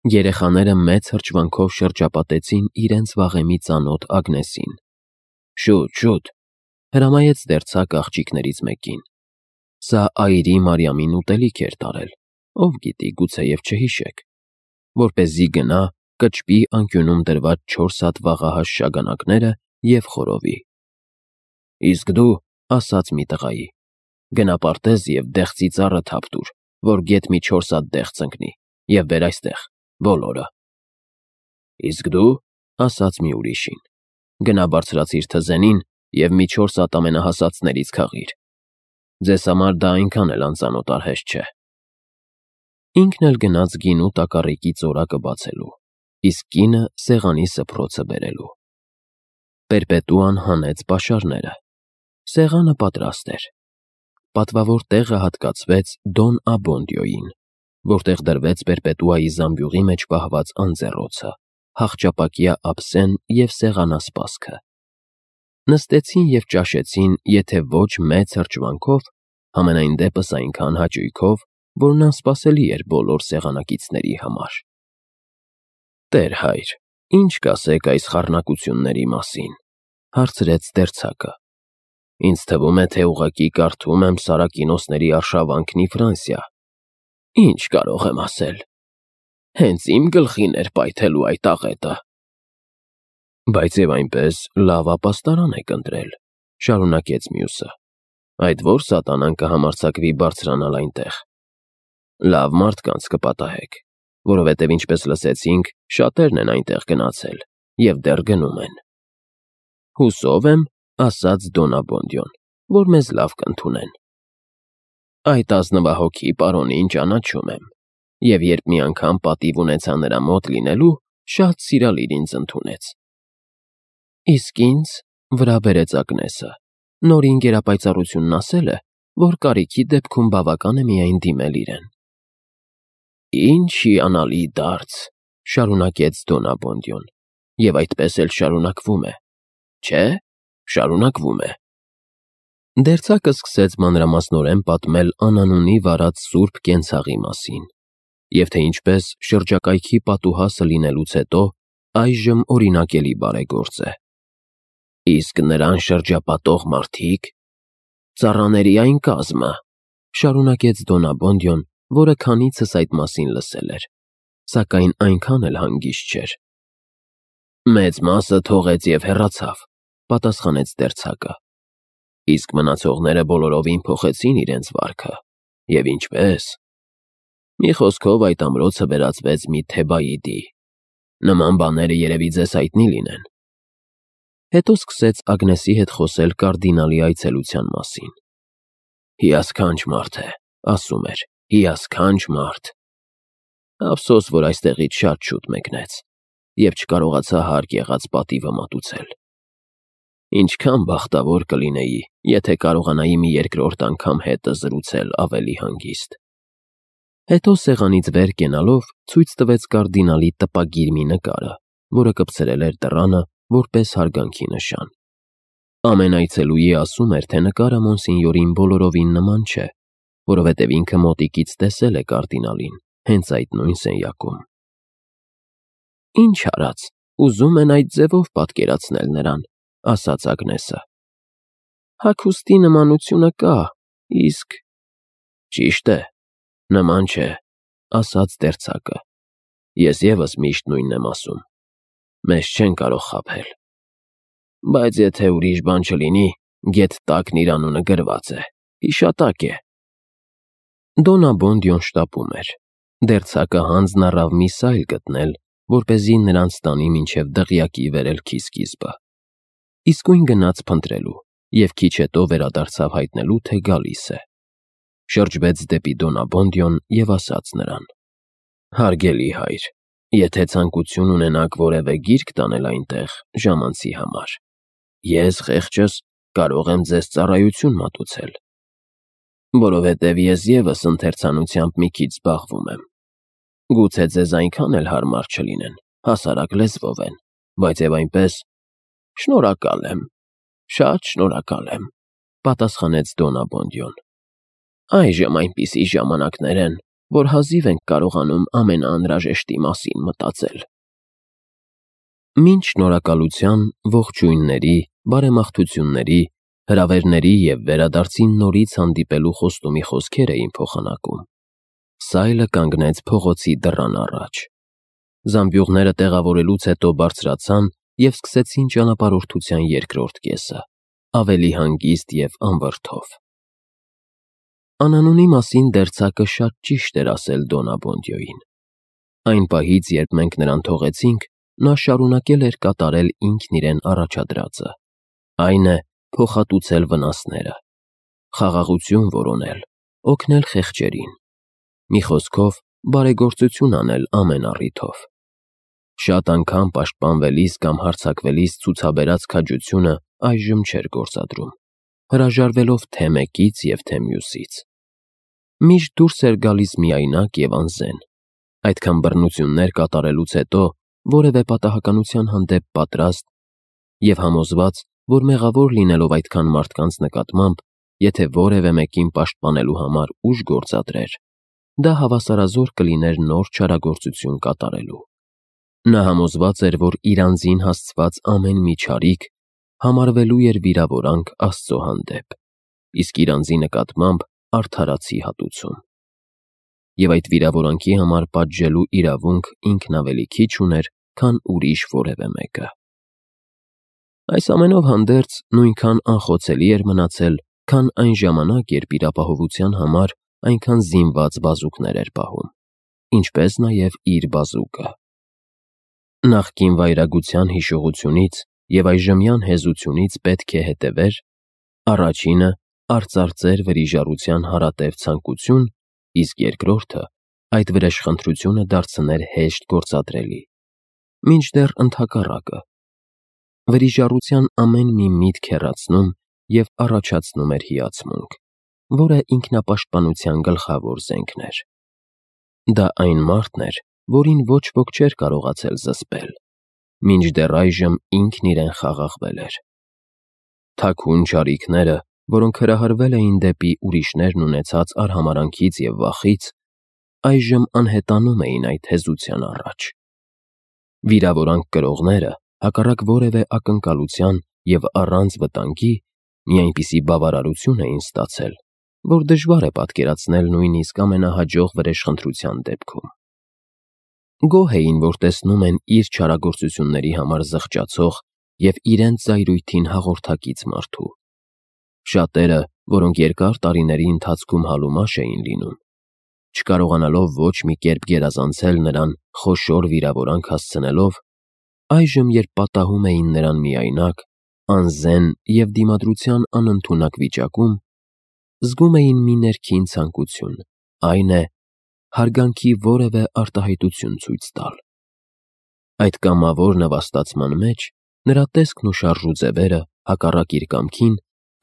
Երեխաները մեծ հրճվանքով շրջապատեցին իրենց վաղեմի ծանոթ Ագնեսին։ Շուտ, շուտ, հրամայեց դերձակ աղջիկներից մեկին։ Սա այրի Մարիամին ուտելիք էր տարել, ով գիտի, գուցեև չհիշեք, որպեսզի գնա, կճպի անկյունում դրված 4 հատ վաղահաս շագանակները և խորովի։ Իսկ դու, ասաց մի տղայի, գնա պարտեզ և դեղցի ծառը թափ տուր, որ գեթ մի 4 հատ դեղց ընկնի, և բեր այստեղ, բոլորը։ Իսկ դու, ասաց մի ուրիշին, գնա բարձրացիր թզենին և մի 4 հատ ամենահասածներից քաղիր։ Ձեզ համար դա այնքան էլ անծանոթ արհեստ չէ։ Ինքն էլ գնաց գինու տակառիկի ծորակը բացելու, իսկ կինը սեղանի սփռոցը բերելու։ Պերպետուան հանեց պաշարները։ Սեղանը պատրաստ էր։ Պատվավոր տեղը հատկացվեց Դոն Աբոնդիոյին, որտեղ դրվեց Պերպետուայի զամբյուղի մեջ պահված անձեռոցը, հախճապակյա ափսեն և սեղանասպասքը։ Նստեցին և ճաշեցին, եթե ոչ մեծ հրճվանքով, համենայն դեպս այնքան հաճույքով, որն անսպասելի էր բոլոր սեղանակիցների համար։ Տեր հայր, ի՞նչ կասեք այս խառնակությունների մասին, հարցրեց դերձակը։ Ինձ թվում է, թե ուղղակի կարդում եմ Սարակինոսների արշավանքն ի Ֆրանսիա։ Ինչ կարող եմ ասել։ Հենց իմ գլխին էր պայթելու այդ աղետը։ Բայց և այնպես լավ ապաստարան եք ընտրել, շարունակեց մյուսը։ Այդ ո՞ր սատանան կհամարձակվի բարձրանալ այնտեղ։ Լավ մարդկանց կպատահեք, որովհետև ինչպես լսեցինք, շատերն են այնտեղ գնացել և դեռ գնում են։ Հուսով եմ, ասաց Դոն Աբոնդիոն, որ մեզ լավ կընդունեն։ Այդ ազնվահոգի պարոնին ճանաչում եմ, և երբ մի անգամ պատիվ ունեցա նրա մոտ լինելու, շատ սիրալիր ինձ ընդունեց։ Իսկ ինձ, վրա բերեց Ագնեսը, նորին գերապայծառությունն ասել է, որ կարիքի դեպքում բավական է միայն դիմել իրեն։ Ինչ հիանալի դարձ, շարունակեց Դոն Աբոնդիոն, և այդպես էլ շարունակվում է, չէ՞, շարունակվում է։ Դերձակը սկսեց մանրամասնորեն պատմել անանունի վարած սուրբ կենցաղի մասին, և թե ինչպես շրջակայքի պատուհասը լինելուց հետո այժմ օրինակելի բարեգործ է։ Իսկ նրան շրջապատող մարդիկ, ծառաների այն կազմը, շարունակեց Դոն Աբոնդիոն, որը քանիցս այդ մասին լսել էր, սակայն այնքան էլ հանգիստ չէր։ Մեծ մասը թողեց և հեռացավ, պատասխանեց դերձակը։ Իսկ մնացողները բոլորովին փոխեցին իրենց վարքը, և ինչպես։ Մի խոսքով այդ ամրոցը վերածվեց մի Թեբայիդի։ Նման բաները երևի ձեզ հայտնի լինեն։ Հետո սկսեց Ագնեսի հետ խոսել կարդինալի այցելության մասին։ Հիասքանչ մարդ է, ասում էր, հիասքանչ մարդ։ Ափսոս, որ այստեղից շատ շուտ մեկնեց, և չկարողացա հարկ եղած պատիվը մատուցել։ Ինչքան բախտավոր կլինեի, եթե կարողանայի մի երկրորդ անգամ հետը զրուցել ավելի հանգիստ։ Հետո սեղանից վեր կենալով ցույց տվեց կարդինալի տպագիր մի նկարը, որը կպցրել էր դռանը որպես հարգանքի նշան։ Ամեն այցելուի ասում էր, թե նկարը մոնսինյորին բոլորովին նման չէ, որովհետև ինքը մոտիկից տեսել է կարդինալին հենց այդ նույն սենյակում։ Ինչ արած, ուզում են այդ ձևով պատկերացնել նրան, ասաց Ագնեսը։ Հագուստի նմանությունը կա, իսկ… Ճիշտ է, նման չէ, ասաց դերձակը։ Ես ևս միշտ նույնն եմ ասում։ Մեզ չեն կարող խաբել։ Բայց եթե ուրիշ բան չլինի, գեթ տակն իր անունը գրված է, հիշատակ է։ Դոն Աբոնդիոն շտապում էր։ Դերձակը հանձն առավ մի սայլ գտնել, որպեսզի նրանց տանի մինչև դղյակի վերելքի սկիզբը։ Իսկույն գնաց փնտրելու և քիչ հետո վերադարձավ հայտնելու, թե գալիս է։ Շրջվեց դեպի Դոն Աբոնդիոն և ասաց նրան. Հարգելի հայր, եթե ցանկություն ունենաք որևէ գիրք տանել այնտեղ ժամանցի համար, ես խեղճս կարող եմ ձեզ ծառայություն մատուցել, որովհետև ես ևս ընթերցանությամբ մի քիչ զբաղվում եմ։ Գուցե ձեզ այնքան էլ հարմար չլինեն, հասարակ լեզվով են, բայց և այնպես… Շնորհակալ եմ, շատ շնորհակալ եմ, պատասխանեց Դոն Աբոնդիոն։ Այժմ այնպիսի ժամանակներ են, որ հազիվ ենք կարողանում ամենաանհրաժեշտի մասին մտածել։ Մինչ շնորհակալության, ողջույնների, բարեմաղթությունների, հրավերների և վերադարձին նորից հանդիպելու խոստումի խոսքեր էին փոխանակում, Սայլը կանգնեց փողոցի դռան առաջ։ Զամբյուղները տեղավորելուց հետո բարձրացան և սկսեցին ճանապարհորդության երկրորդ կեսը, ավելի հանգիստ և անվրդով։ Անանունի մասին դերձակը շատ ճիշտ էր ասել Դոննա Բոնդյոին։ Այն պահից, երբ մենք նրան թողեցինք, նա շարունակել էր կատարել ինքն իրեն առաջադրածը, այն է, փոխհատուցել վնասները, խաղաղություն որոնել, օգնել խեղճերին, մի խոսքով, բարեգործություն անել ամեն առիթով։ Շատ անգամ պաշտպանվելիս կամ հարձակվելիս ցուցաբերած քաջությունը այժմ չէր գործադրում, հրաժարվելով թե մեկից և թե մյուսից։ Միշտ դուրս էր գալիս միայնակ և անզեն, այդքան բռնություններ կատարելուց հետո որևէ պատահականության հանդեպ պատրաստ և համոզված, որ մեղավոր լինելով այդքան մարդկանց նկատմամբ, եթե որևէ մեկին պաշտպանելու համար ուժ գործադրեր, դա հավասարազոր կլիներ նոր չարագործություն կատարելու։ Նա համոզված էր, որ իր անձին հասցված ամեն մի չարիք համարվելու էր վիրավորանք Աստծո հանդեպ, իսկ իր անձի նկատմամբ արդարացի հատուցում։ Եվ այդ վիրավորանքի համար պատժելու իրավունք ինքն ավելի քիչ ուներ, քան ուրիշ որևէ մեկը։ Այս ամենով հանդերձ նույնքան անխոցելի էր մնացել, քան այն ժամանակ, երբ իր ապահովության համար այնքան զինված բազուկներ էր պահում, ինչպես նաև իր բազուկը։ Նախկին վայրագության հիշողությունից և այժմյան հեզությունից պետք է հետևեր. առաջինը արծարծեր վրիժառության հարատև ցանկություն, իսկ երկրորդը այդ վրեժխնդրությունը դարձներ հեշտ գործադրելի, մինչդեռ ընդհակառակը։ Վրիժառության ամեն մի միտք հեռացնում և առաջացնում էր հիացմունք, որը ինքնապաշտպանության գլխավոր զենքն էր։ Դա այն մարդն էր, որին ոչ ոք չէր կարողացել զսպել, մինչդեռ այժմ ինքն իրեն խաղաղվել էր։ Թաքուն չարիքները, որոնք հրահրվել էին դեպի ուրիշներն ունեցած արհամարհանքից և վախից, այժմ անհետանում էին այդ հեզության առաջ։ Վիրավորանք կրողները, հակառակ որևէ ակնկալության և առանց վտանգի, մի այնպիսի բավարարություն էին ստացել, որ դժվար է պատկերացնել նույնիսկ ամենահաջող վրեժխնդրության դեպքում։ Գոհ էին, որ տեսնում են իր չարագործությունների համար զղջացող և իրենց զայրույթին հաղորդակից մարդու։ Շատերը, որոնք երկար տարիների ընթացքում հալումաշ էին լինում, չկարողանալով ոչ մի կերպ գերազանցել նրան խոշոր վիրավորանք հասցնելով, այժմ, երբ պատահում էին նրան միայնակ, անզեն և դիմադրության անընդունակ վիճակում, զգում էին մի ներքին ցանկություն, այն է, հարգանքի որևէ արտահայտություն ցույց տալ։ Այդ կամավոր նվաստացման մեջ նրա տեսքն ու շարժուձևերը, հակառակ իր կամքին,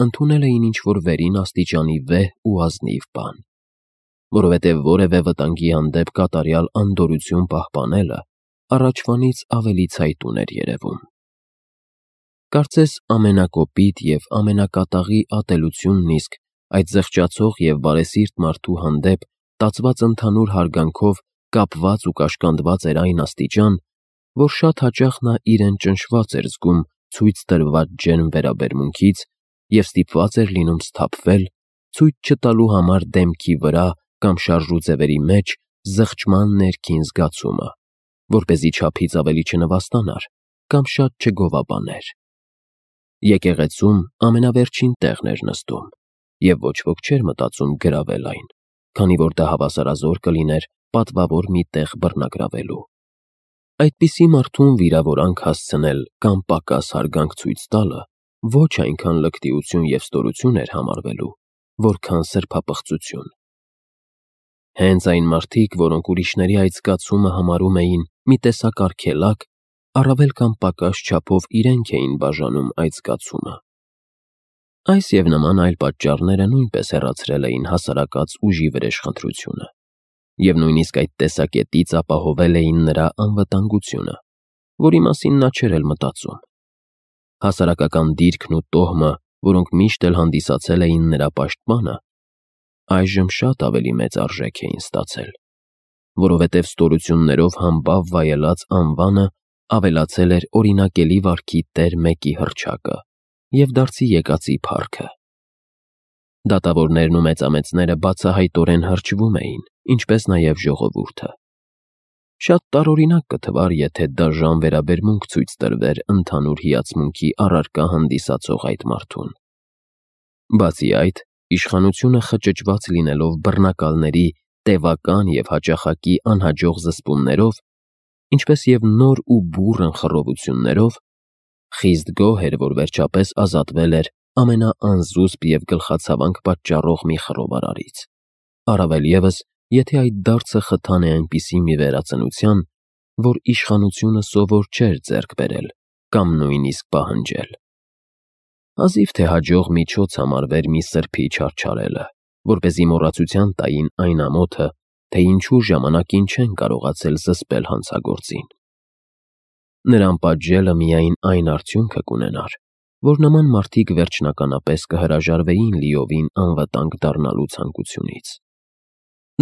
ընդունել էին ինչ-որ վերին աստիճանի վեհ ու ազնիվ բան, որովհետև որևէ վտանգի հանդեպ կատարյալ անդորրություն պահպանելը առաջվանից ավելի ցայտուն էր երևում։ Կարծես ամենակոպիտ և ամենակատաղի ատելությունն իսկ այդ զղջացող և բարեսիրտ մարդու հանդեպ տածված ընդհանուր հարգանքով կապված ու կաշկանդված էր այն աստիճան, որ շատ հաճախ նա իրեն ճնշված էր զգում ցույց տրված ջերմ վերաբերմունքից և ստիպված էր լինում սթափվել, ցույց չտալու համար դեմքի վրա կամ շարժուձևերի մեջ զղջման ներքին զգացումը, որպեսզի չափից ավելի չնվաստանար կամ շատ չգովաբաներ։ Եկեղեցում ամենավերջին տեղն էր նստում, և ոչ ոք չէր մտածում գրավել այն, քանի որ դա հավասարազոր կլիներ պատվավոր մի տեղ բռնագրավելու։ Այդպիսի մարդուն վիրավորանք հասցնել կամ պակաս հարգանք ցույց տալը ոչ այնքան լկտիություն և ստորություն էր համարվելու, որքան սրբապղծություն։ Հենց այն մարդիկ, որոնք ուրիշների այդ զգացումը համարում էին մի տեսակ արգելակ, առավել կամ պակաս չափով իրենք էին բաժանում այդ զգացումը։ Այս և նման այլ պատճառները նույնպես հեռացրել էին հասարակած ուժի վրեժխնդրությունը և նույնիսկ այդ տեսակետից ապահովել էին նրա անվտանգությունը, որի մասին նա չէր էլ մտածում։ Հասարակական դիրքն ու տոհմը, որոնք միշտ էլ հանդիսացել էին նրա պաշտպանը, այժմ շատ ավելի մեծ արժեք էին ստացել, որովհետև ստորություններով համբավ վայելած անվանը ավելացել էր օրինակելի վարքի տեր մեկի հռչակը և դարձի եկածի փառքը։ Դատավորներն ու մեծամեծները բացահայտորեն հրճվում էին, ինչպես նաև ժողովուրդը։ Շատ տարօրինակ կթվար, եթե դաժան վերաբերմունք ցույց տրվեր ընդհանուր հիացմունքի առարկա հանդիսացող այդ մարդուն։ Բացի այդ, իշխանությունը խճճված լինելով բռնակալների տևական և հաճախակի անհաջող զսպումներով, ինչպես և նոր ու բուռն խռովություններով, խիստ գոհ էր, որ վերջապես ազատվել էր ամենաանզուսպ և գլխացավանք պատճառող մի խռովարարից, առավել ևս, եթե այդ դարձը խթան է այնպիսի մի վերածնության, որ իշխանությունը սովոր չէր ձեռք բերել կամ նույնիսկ պահանջել։ Հազիվ թե հաջող միջոց համարվեր մի սրբի չարչարելը, որպեսզի մոռացության տային այն ամոթը, թե ինչու ժամանակին չեն կարողացել զսպել հանցագործին։ Նրան պատժելը միայն այն արդյունքը կունենար, որ նման մարդիկ վերջնականապես կհրաժարվեին լիովին անվտանգ դառնալու ցանկությունից։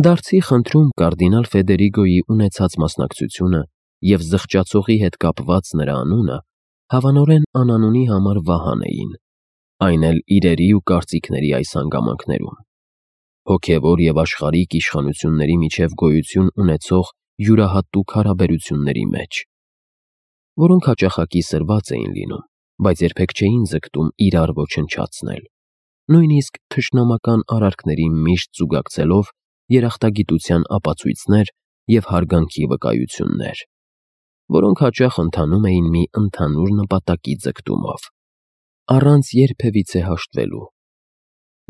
Դարձի խնդրում կարդինալ Ֆեդերիգոյի ունեցած մասնակցությունը և զղջացողի հետ կապված նրա անունը հավանորեն անանունի համար վահան էին, այն էլ իրերի ու կարծիքների այս հանգամանքներում։ Հոգևոր և աշխարհիկ իշխանությունների միջև գոյություն ունեցող յուրահատուկ հարաբերությունների մեջ, որոնք հաճախակի սրված էին լինում, բայց երբեք չէին ձգտում իրար ոչնչացնել, նույնիսկ թշնամական արարքների միշտ զուգակցելով երախտագիտության ապացույցներ և հարգանքի վկայություններ, որոնք հաճախ ընթանում էին մի ընդհանուր նպատակի ձգտումով, առանց երբևիցե հաշտվելու,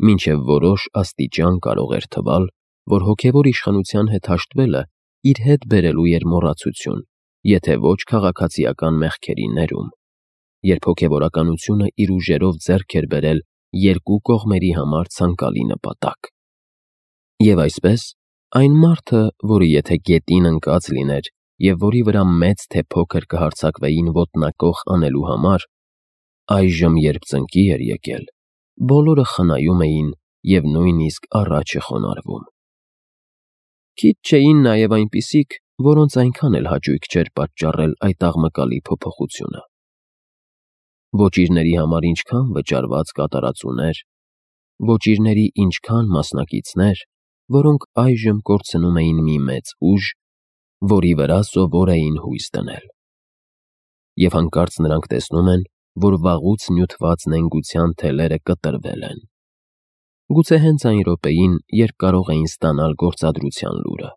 մինչև որոշ աստիճան կարող էր թվալ, որ հոգևոր իշխանության հետ հաշտվելը իր հետ բերելու էր մոռացություն, եթե ոչ քաղաքացիական մեղքերի ներում, երբ հոգևորականությունը իր ուժերով ձեռք էր բերել երկու կողմերի համար ցանկալի նպատակ։ Եվ այսպես, այն մարդը, որը եթե գետին ընկած լիներ և որի վրա մեծ թե փոքր կհարձակվեին ոտնակոխ անելու համար, այժմ, երբ ծնկի էր եկել, բոլորը խնայում էին և նույնիսկ առաջ է խոնարհվում։ Քիչ չէին նաև այնպիսիք, որոնց այնքան էլ հաճույք չէր պատճառել այդ աղմկալի փոփոխությունը։ Ոճիրների համար ինչքան վճարված կատարածուներ, ոճիրների ինչքան մասնակիցներ, որոնք այժմ կորցնում էին մի մեծ ուժ, որի վրա սովոր էին հույս դնել։ Եվ հանկարծ նրանք տեսնում են, որ վաղուց նյութված նենգության թելերը կտրվել են։ Գուցե հենց այն րոպեին, երբ կարող էին ստանալ գործադրության լուրը։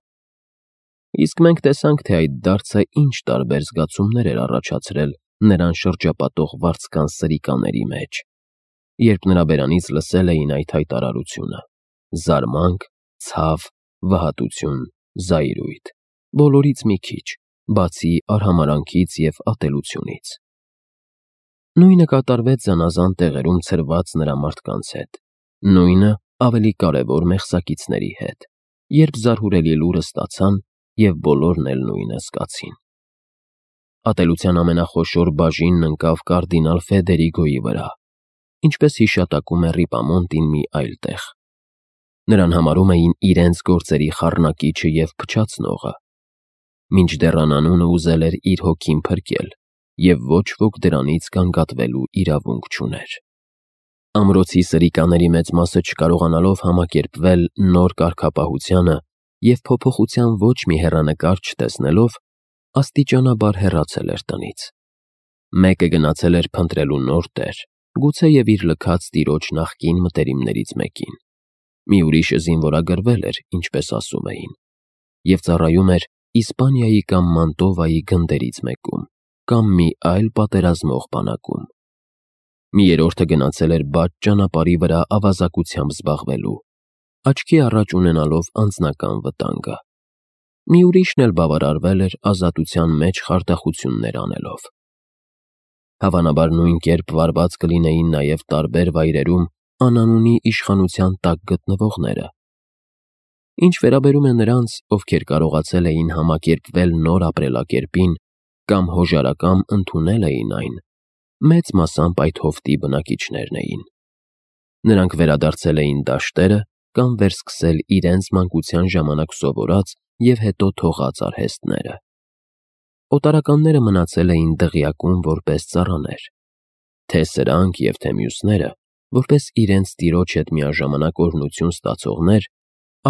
Իսկ մենք տեսանք, թե այդ դարձը ինչ տարբեր զգացումներ էր առաջացրել նրան շրջապատող վարձկան սրիկաների մեջ, երբ նրա բերանից լսել էին այդ հայտարարությունը՝ զարմանք, ցավ, վհատություն, զայրույթ, բոլորից մի քիչ, բացի արհամարհանքից և ատելությունից։ Նույնը կատարվեց զանազան տեղերում ցրված նրա մարդկանց հետ, նույնը ավելի կարևոր մեղսակիցների հետ, երբ զարհուրելի լուրը ստացան և բոլորն էլ նույնը զգացին։ Ատելության ամենախոշոր բաժինն ընկավ կարդինալ Ֆեդերիգոյի վրա, ինչպես հիշատակում է Ռիպամոնտին մի այլ տեղ։ Նրան համարում էին իրենց գործերի խառնակիչը և փչացնողը, մինչդեռ անանունը ուզել էր իր հոգին փրկել, և ոչ ոք դրանից գանգատվելու իրավունք չուներ։ Ամրոցի սրիկաների մեծ մասը չկարողանալով համակերպվել նոր կարգապահությանը և փոփոխության ոչ մի հեռանկար չտեսնելով, աստիճանաբար հեռացել էր տնից։ Մեկը գնացել էր փնտրելու նոր տեր, գուցեև իր լքած տիրոջ նախկին մտերիմներից մեկին, մի ուրիշը զինվորագրվել էր, ինչպես ասում էին, և ծառայում էր Իսպանիայի կամ Մանտովայի գնդերից մեկում, կամ մի այլ պատերազմող բանակում։ Մի երրորդը գնացել էր բաց ճանապարհի վրա ավազակությամբ զբաղվելու, աչքի առաջ ունենալով անձնական վտանգը։ Մի ուրիշն էլ բավարարվել էր ազատության մեջ խարդախություններ անելով։ Հավանաբար նույն կերպ վարված կլինեին նաև տարբեր վայրերում անանունի իշխանության տակ գտնվողները։ Ինչ վերաբերում է նրանց, ովքեր կարողացել էին համակերպվել նոր ապրելակերպին կամ հոժարակամ ընդունել էին այն, մեծ մասամբ այդ հովտի բնակիչներն էին։ Նրանք վերադարձել էին դաշտերը կամ վերսկսել իրենց մանկության ժամանակ սովորած և հետո թողած արհեստները։ Օտարականները մնացել էին դղյակում որպես ծառաներ, թե սրանք և թե մյուսները, որպես իրենց տիրոջ հետ միաժամանակ օրհնություն ստացողներ,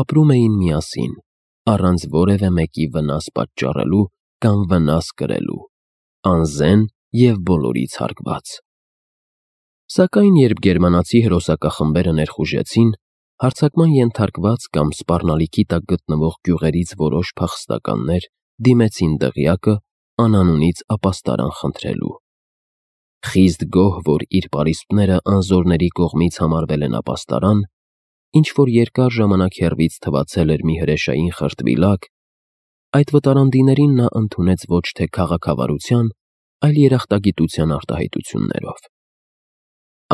ապրում էին միասին, առանց որևէ մեկի վնաս պատճառելու կամ վնաս կրելու, անզեն և բոլորից հարգված։ Սակայն երբ գերմանացի հրոսակախմբերը ներխուժեցին, հարձակման ենթարկված կամ սպառնալիքի տակ գտնվող գյուղերից որոշ փախստականներ դիմեցին դղյակը անանունից ապաստարան խնդրելու։ Խիստ գոհ, որ իր պարիսպները անզորների կողմից համարվել են ապաստարան, ինչ-որ երկար ժամանակ հեռվից թվացել էր մի հրեշային խրտվիլակ, այդ վտարանդիներին նա ընդունեց ոչ թե քաղաքավարության, այլ երախտագիտության արտահայտություններով։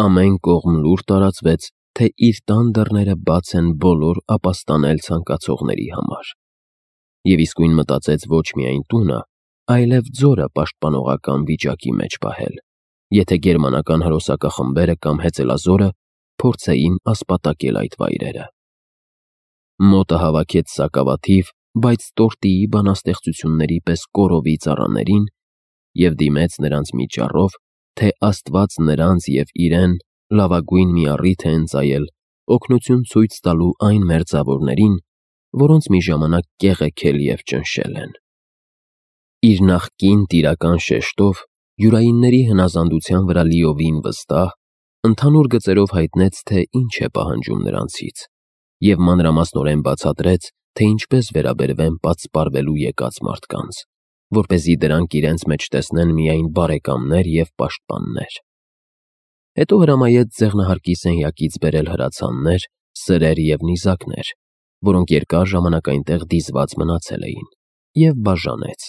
Ամեն կողմ լուր տարածվեց, թե իր տան դռները բաց են բոլոր ապաստանել ցանկացողների համար, և իսկույն մտածեց ոչ միայն տունը, այլև ձորը պաշտպանողական վիճակի մեջ պահել, եթե գերմանական հրոսակախմբերը կամ հեծելազորը փորձեին ասպատակել այդ վայրերը։ Մոտը հավաքեց սակավաթիվ, բայց տորտիի բանաստեղծությունների պես կորովի ծառաներին և դիմեց նրանց մի ճառով, թե Աստված նրանց և իրեն լավագույն մի առիթ է ընծայել օգնություն ցույց տալու այն մերձավորներին, որոնց մի ժամանակ կեղեքել և ճնշել են։ Իր նախկին տիրական շեշտով, յուրայինների հնազանդության վրա լիովին վստահ, ընդհանուր գծերով հայտնեց, թե ինչ է պահանջում նրանցից, և մանրամասնորեն բացատրեց, թե ինչպես վերաբերվեն պատսպարվելու եկած մարդկանց, որպեսզի դրանք իրենց մեջ տեսնեն միայն բարեկամներ և պաշտպաններ։ Հետո հրամայեց ձեղնահարկի սենյակից բերել հրացաններ, սրեր և նիզակներ, որոնք երկար ժամանակ այնտեղ դիզված մնացել էին, և բաժանեց։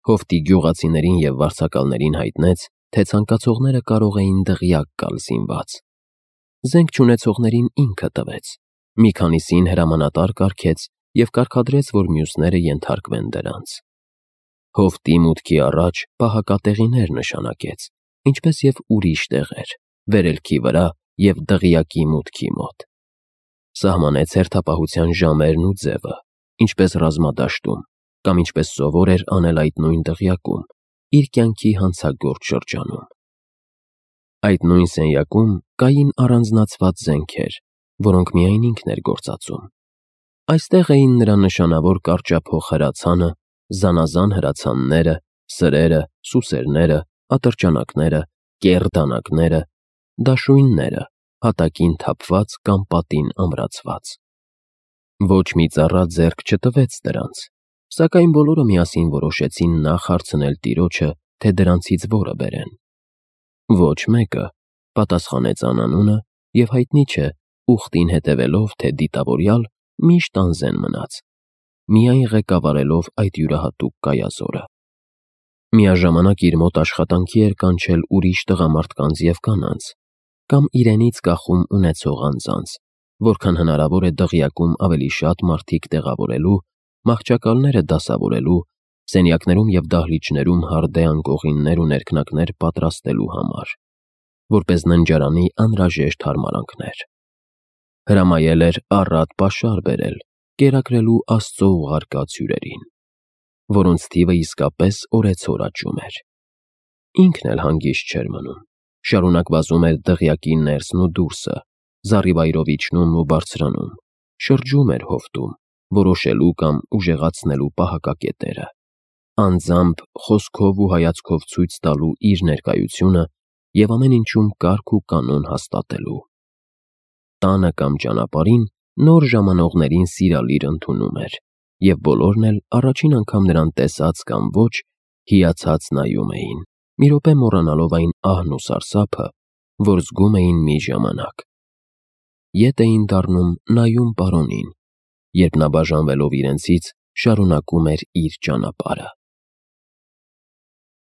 Հովտի գյուղացիներին և վարձակալներին հայտնեց, թե ցանկացողները կարող էին դղյակ գալ զինված։ Զենք չունեցողներին ինքը տվեց, մի քանիսին հրամանատար կարգեց և կարգադրեց, որ մյուսները ենթարկվեն դրանց։ Հովտի մուտքի առաջ պահակատեղիներ նշանակեց, ինչպես և ուրիշ տեղեր, վերելքի վրա և դղյակի մուտքի մոտ։ Սահմանեց հերթապահության ժամերն ու ձևը, ինչպես ռազմադաշտում, կամ ինչպես սովոր էր անել այդ նույն դղյակում, իր կյանքի հանցագործ շրջանում։ Այդ նույն սենյակում կային առանձնացված զենքեր, որոնք միայն ինքն էր գործածում։ Այստեղ էին նրա նշանավոր կարճափոխ հրացանը, զանազան հրացանները, սրերը, սուսերները, ատրճանակները, կեռ դանակները, դաշույնները, հատակին թափված կամ պատին ամրացված։ Ոչ մի ծառա ձեռք չտվեց դրանց, սակայն բոլորը միասին որոշեցին նախ հարցնել տիրոջը, թե դրանցից որը բերեն։ Ոչ մեկը, պատասխանեց անանունը, և հայտնի չէ, ուխտին հետևելով, թե դիտավորյալ միշտ անզեն մնաց, միայն ղեկավարելով այդ յուրահատուկ կայազորը։ Միաժամանակ իր մոտ աշխատանքի էր կանչել ուրիշ տղամարդկանց և կանանց, կամ իրենից կախում ունեցող անձանց, որքան հնարավոր է դղյակում ավելի շատ մարդիկ տեղավորելու, մահճակալները դասավորելու, սենյակներում և դահլիճներում հարդե անկողիններ ու ներքնակներ պատրաստելու համար, որպես ննջարանի անհրաժեշտ հարմարանքներ։ Հրամայել էր առատ պաշար բերել, կերակրելու Աստծո ուղարկած հյուրերին, որոնց թիվը իսկապես օրեցօր աճում էր։ Ինքն էլ հանգիստ չէր մնում, շարունակ վազում էր դղյակի ներսն ու դուրսը, զառիվայրով իջնում ու բարձրանում, շրջում էր հովտում, որոշելու կամ ուժեղացնելու պահակակետերը, անձամբ խոսքով ու հայացքով ցույց տալու իր ներկայությունը և ամեն ինչում կարգ ու կանոն հաստատելու։ Տանը կամ ճանապարհին նոր ժամանողներին սիրալիր ընդունում էր, և բոլորն էլ առաջին անգամ նրան տեսած կամ ոչ, հիացած նայում էին, մի րոպե մոռանալով այն ահն ու սարսափը, որ զգում էին մի ժամանակ։ Ետ էին դառնում նայում պարոնին, երբ նա բաժանվելով իրենցից շարունակում էր իր ճանապարհը։